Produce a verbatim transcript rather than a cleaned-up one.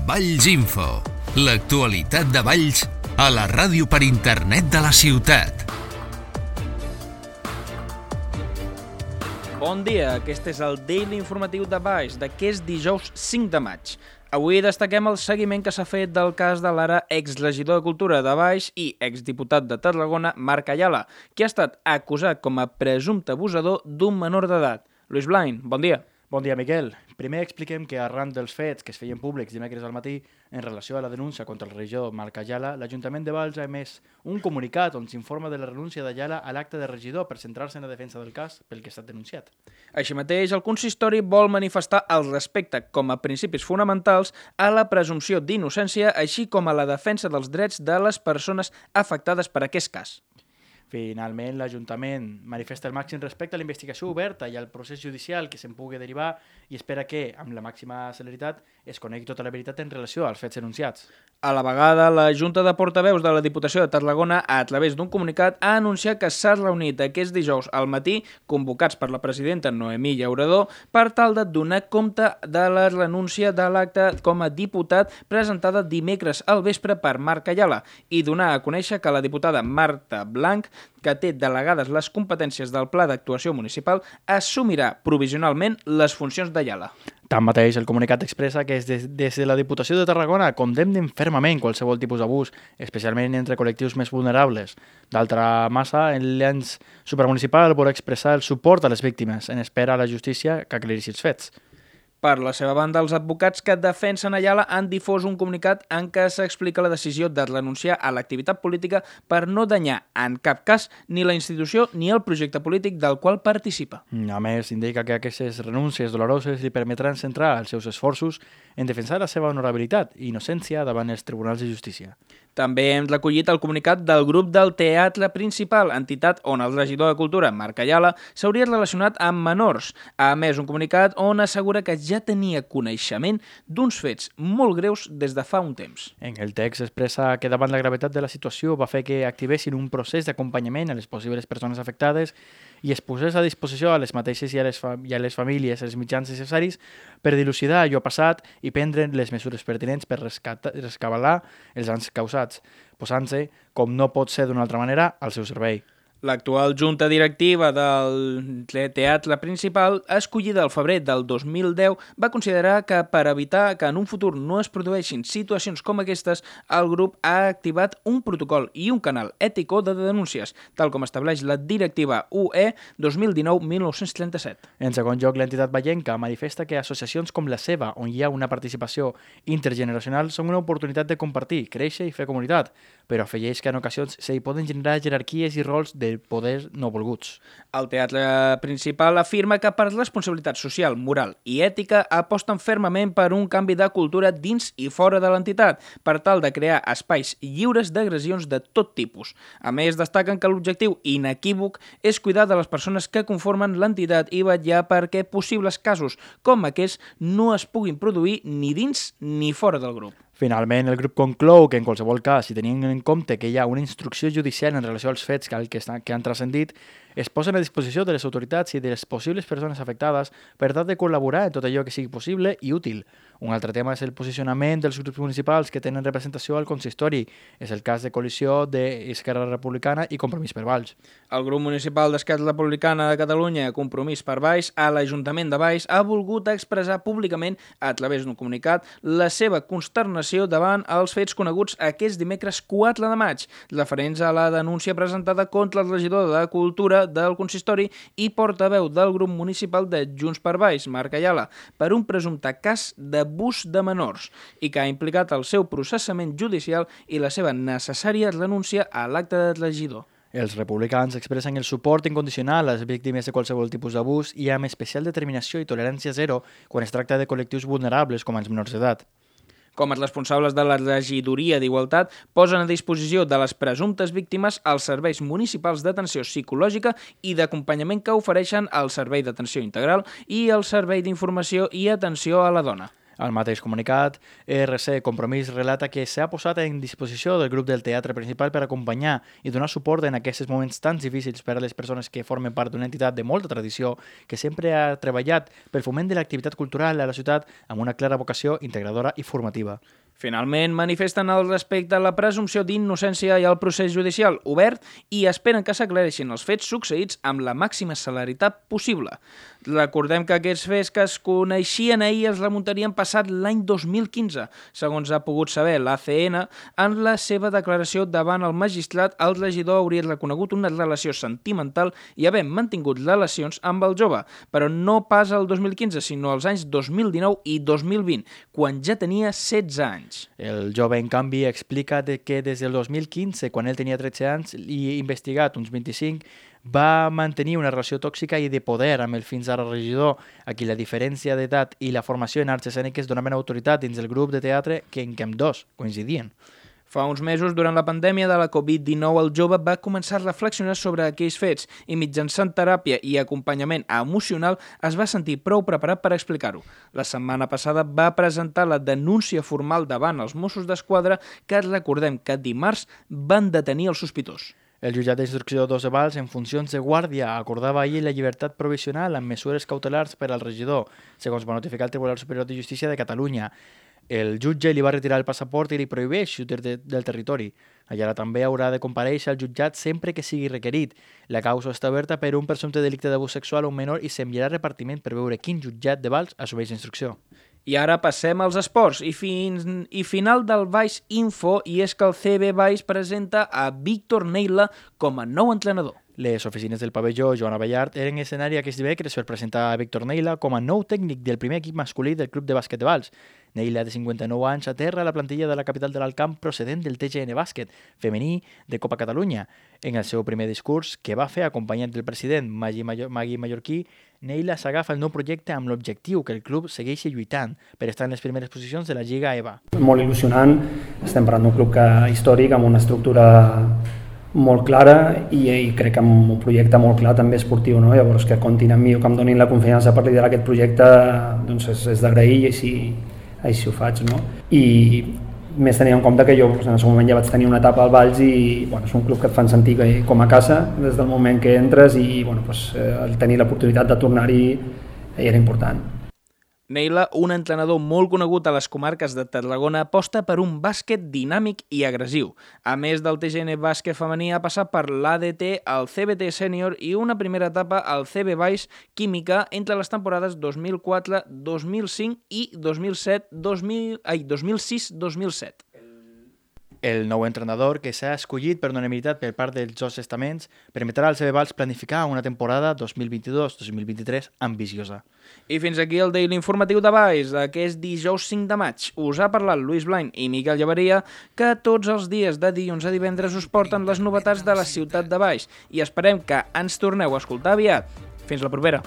Valls Info, l'actualitat de Valls a la ràdio per internet de la ciutat. Bon dia, aquest és el Daily Informatiu de Valls d'aquest dijous cinc de maig. Avui destaquem el seguiment que s'ha fet del cas de l'ara exregidor de Cultura de Valls i exdiputat de Tarragona, Marc Ayala, que ha estat acusat com a presumpte abusador d'un menor d'edat. Lluís Blain, bon dia. Bon dia, Miquel. Primer expliquem que arran dels fets que es feien públics dimecres al matí en relació a la denúncia contra el regidor Marc Ayala, l'Ajuntament de Valls ha emès un comunicat on s'informa de la renúncia d'Ayala a l'acte de regidor per centrar-se en la defensa del cas pel que ha estat denunciat. Així mateix, el consistori vol manifestar el respecte com a principis fonamentals a la presumpció d'innocència, així com a la defensa dels drets de les persones afectades per aquest cas. Finalment, l'Ajuntament manifesta el màxim respecte a la investigació oberta i al procés judicial que se'n pugui derivar i espera que, amb la màxima celeritat, es conegui tota la veritat en relació als fets enunciats. A la vegada, la Junta de Portaveus de la Diputació de Tarragona, a través d'un comunicat, ha anunciat que s'ha reunit aquest dijous al matí, convocats per la presidenta Noemí Llaurador, per tal de donar compte de la renúncia de l'acte com a diputat presentada dimecres al vespre per Marc Ayala i donar a conèixer que la diputada Marta Blanc, que té delegades les competències del Pla d'Actuació Municipal, assumirà provisionalment les funcions d'Ayala. Tanmateix, el comunicat expressa que des, des de la Diputació de Tarragona condemnen fermament qualsevol tipus d'abús, especialment entre col·lectius més vulnerables. D'altra massa, l'ens supramunicipal vol expressar el suport a les víctimes en espera a la justícia que aclareixi els fets. Per la seva banda, els advocats que defensen Ayala han difós un comunicat en què s'explica la decisió de renunciar a l'activitat política per no danyar en cap cas ni la institució ni el projecte polític del qual participa. A més, indica que aquestes renúncies doloroses li permetran centrar els seus esforços en defensar la seva honorabilitat i innocència davant els tribunals de justícia. També hem recollit el comunicat del grup del Teatre Principal, entitat on el regidor de Cultura, Marc Ayala, s'hauria relacionat amb menors. A més, un comunicat on assegura que ja tenia coneixement d'uns fets molt greus des de fa un temps. En el text expressa que davant la gravetat de la situació va fer que activessin un procés d'acompanyament a les possibles persones afectades i es posés a disposició a les mateixes i a les, i a les famílies els mitjans necessaris per dilucidar allò passat i prendre les mesures pertinents per rescabalar els danys causats, posant-se, com no pot ser d'una altra manera, al seu servei. L'actual junta directiva del Teatre Principal, escollida al febrer del dos mil deu, va considerar que per evitar que en un futur no es produeixin situacions com aquestes, el grup ha activat un protocol i un canal ètico de denúncies, tal com estableix la directiva U E dos mil dinou mil nou-cents trenta-set. En segon lloc, l'entitat vallenca manifesta que associacions com la seva, on hi ha una participació intergeneracional, són una oportunitat de compartir, créixer i fer comunitat, però afegeix que en ocasions s'hi poden generar jerarquies i rols de poders no volguts. El Teatre Principal afirma que per responsabilitat social, moral i ètica aposten fermament per un canvi de cultura dins i fora de l'entitat, per tal de crear espais lliures d'agressions de tot tipus. A més, destaquen que l'objectiu inequívoc és cuidar de les persones que conformen l'entitat i vetllar perquè possibles casos com aquests no es puguin produir ni dins ni fora del grup. Finalment, el grup conclou que en qualsevol cas, si tenint en compte que hi ha una instrucció judicial en relació als fets que, que, que han transcendit, es posen a disposició de les autoritats i de les possibles persones afectades per tal de col·laborar en tot allò que sigui possible i útil. Un altre tema és el posicionament dels grups municipals que tenen representació al consistori. És el cas de coalició d'Esquerra Republicana i Compromís per Valls. El grup municipal d'Esquerra Republicana de Catalunya, Compromís per Valls, a l'Ajuntament de Valls, ha volgut expressar públicament, a través d'un comunicat, la seva consternació davant els fets coneguts aquest dimecres quatre de maig, referents a la denúncia presentada contra el regidor de Cultura del consistori i portaveu del grup municipal de Junts per Valls, Marc Ayala, per un presumpte cas d'abús de menors i que ha implicat el seu processament judicial i la seva necessària renúncia a l'acte de regidor. Els republicans expressen el suport incondicional a les víctimes de qualsevol tipus d'abús i amb especial determinació i tolerància zero quan es tracta de col·lectius vulnerables com els menors d'edat. Com a responsables de la Regidoria d'Igualtat, posen a disposició de les presumptes víctimes els serveis municipals d'atenció psicològica i d'acompanyament que ofereixen el Servei d'Atenció Integral i el Servei d'Informació i Atenció a la Dona. Al mateix comunicat, E R C Compromís relata que s'ha posat en disposició del grup del teatre principal per acompanyar i donar suport en aquests moments tan difícils per a les persones que formen part d'una entitat de molta tradició que sempre ha treballat pel foment de l'activitat cultural a la ciutat amb una clara vocació integradora i formativa. Finalment, manifesten el respecte a la presumpció d'innocència i al procés judicial obert i esperen que s'aclareixin els fets succeïts amb la màxima celeritat possible. Recordem que aquests fets que es coneixien ahir es remuntarien passat l'any dos mil quinze. Segons ha pogut saber l'A C N, en la seva declaració davant el magistrat, el regidor hauria reconegut una relació sentimental i haver mantingut relacions amb el jove, però no pas el dos mil quinze, sinó els anys dos mil dinou i dos mil vint, quan ja tenia setze anys. El jove, en canvi, explica que des del dos mil quinze, quan ell tenia tretze anys i investigat uns vint-i-cinc, va mantenir una relació tòxica i de poder amb el fins ara regidor, a qui la diferència d'edat i la formació en arts escèniques donaven autoritat dins del grup de teatre que en què ambdós coincidien. Fa uns mesos, durant la pandèmia de la covid dinou, el jove va començar a reflexionar sobre aquells fets i mitjançant teràpia i acompanyament emocional es va sentir prou preparat per explicar-ho. La setmana passada va presentar la denúncia formal davant els Mossos d'Esquadra que recordem que dimarts van detenir el sospitós. El jutjat d'instrucció dos de Valls, en funcions de guàrdia, acordava ahir la llibertat provisional amb mesures cautelars per al regidor, segons va notificar el Tribunal Superior de Justícia de Catalunya. El jutge li va retirar el passaport i li prohibeix sortir de, del territori. Allà també haurà de comparèixer al jutjat sempre que sigui requerit. La causa està oberta per un presumpte delicte d'abús sexual a un menor i s'enviarà repartiment per veure quin jutjat de Valls assumeix l'instrucció. I ara passem als esports i, fins, i final del Valls Info, i és que el C B Valls presenta a Víctor Neila com a nou entrenador. Les oficines del pavelló Joan Abellart eren escenari aquest dimecres per presentar a Víctor Neila com a nou tècnic del primer equip masculí del Club de Bàsquet de Valls. Neila, de cinquanta-nou anys, aterra a la plantilla de la capital de l'Alt Camp procedent del T G N Bàsquet, femení de Copa Catalunya. En el seu primer discurs, que va fer acompanyat del president Magui, Mayor Magui Mallorquí, Neila s'agafa el nou projecte amb l'objectiu que el club segueixi lluitant per estar en les primeres posicions de la Lliga E V A. Molt il·lusionant, estem parlant d'un club que, històric, amb una estructura molt clara i, i crec que amb un projecte molt clar també esportiu, no? Llavors que comptin amb mi o que em donin la confiança per liderar aquest projecte, doncs és, és d'agrair i així, així ho faig, no? I més tenint en compte que jo en el seu moment ja vaig tenir una etapa al Valls i bueno, és un club que et fan sentir com a casa des del moment que entres i bueno, doncs, el tenir l'oportunitat de tornar-hi era important. Neila, un entrenador molt conegut a les comarques de Tarragona, aposta per un bàsquet dinàmic i agressiu. A més del T G N Bàsquet femení, ha passat per l'A D T, el C B T Sènior i una primera etapa al C B Valls Química entre les temporades dos mil quatre dos mil cinc i dos mil set dos mil ai, dos mil sis dos mil set. El nou entrenador, que s'ha escollit per unanimitat per part dels dos estaments, permetrà al C B Valls planificar una temporada dos mil vint-i-dos dos mil vint-i-tres ambiciosa. I fins aquí el Daily Informatiu de Valls d'aquest dijous cinc de maig. Us ha parlat Lluís Blain i Miquel Llaveria, que tots els dies de dilluns a divendres us porten les novetats de la ciutat de Valls i esperem que ens torneu a escoltar aviat. Fins la propera!